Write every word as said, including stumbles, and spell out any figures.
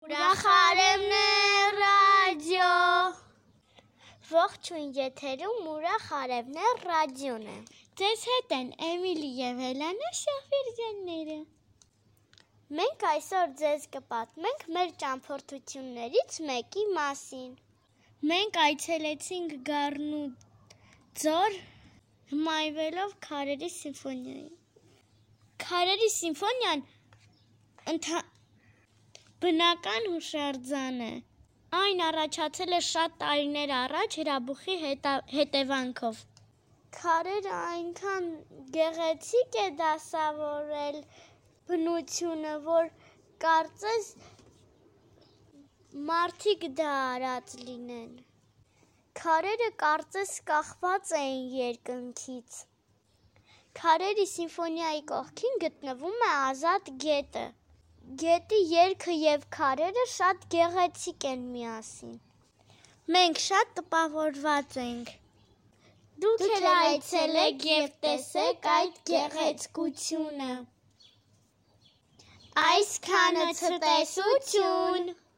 Ուրախ արևն է ռադիո։ Ողջույն, եթերում ուրախ արևն է ռադիոն է։ Ձեզ հետ են Էմիլի և Էլանա Շահվերդյանները։ Մենք այսօր ձեզ կպատմենք մեր ճամփորդություններից մեկի մասին։ Մենք այցելեցինք Գառնու ձոր, հմայվելով Քարերի սիմֆոնիային։ Քարերի սիմֆոնիան ընթա... բնական հուշարձան է։ Այն առաջացել է շատ տարիներ առաջ հրաբուխի հետա... հետևանքով։ Քարերը այնքան գեղեցիկ է դասավորել բնությունը, որ կարծես մարդիկ դա արած լինեն։ Քարերը կարծես կախված էին երկնքից։ Քարերի սիմֆոնիայի կողքին գտնվում է Ազատ գետը։ Գետի երգը և քարերը շատ գեղեցիկ են միասին։ Մենք շատ տպավորված ենք։ Դուք էլ այցելեք և տեսեք այդ գեղեցկությունը։ Այսքանը ցտեսություն։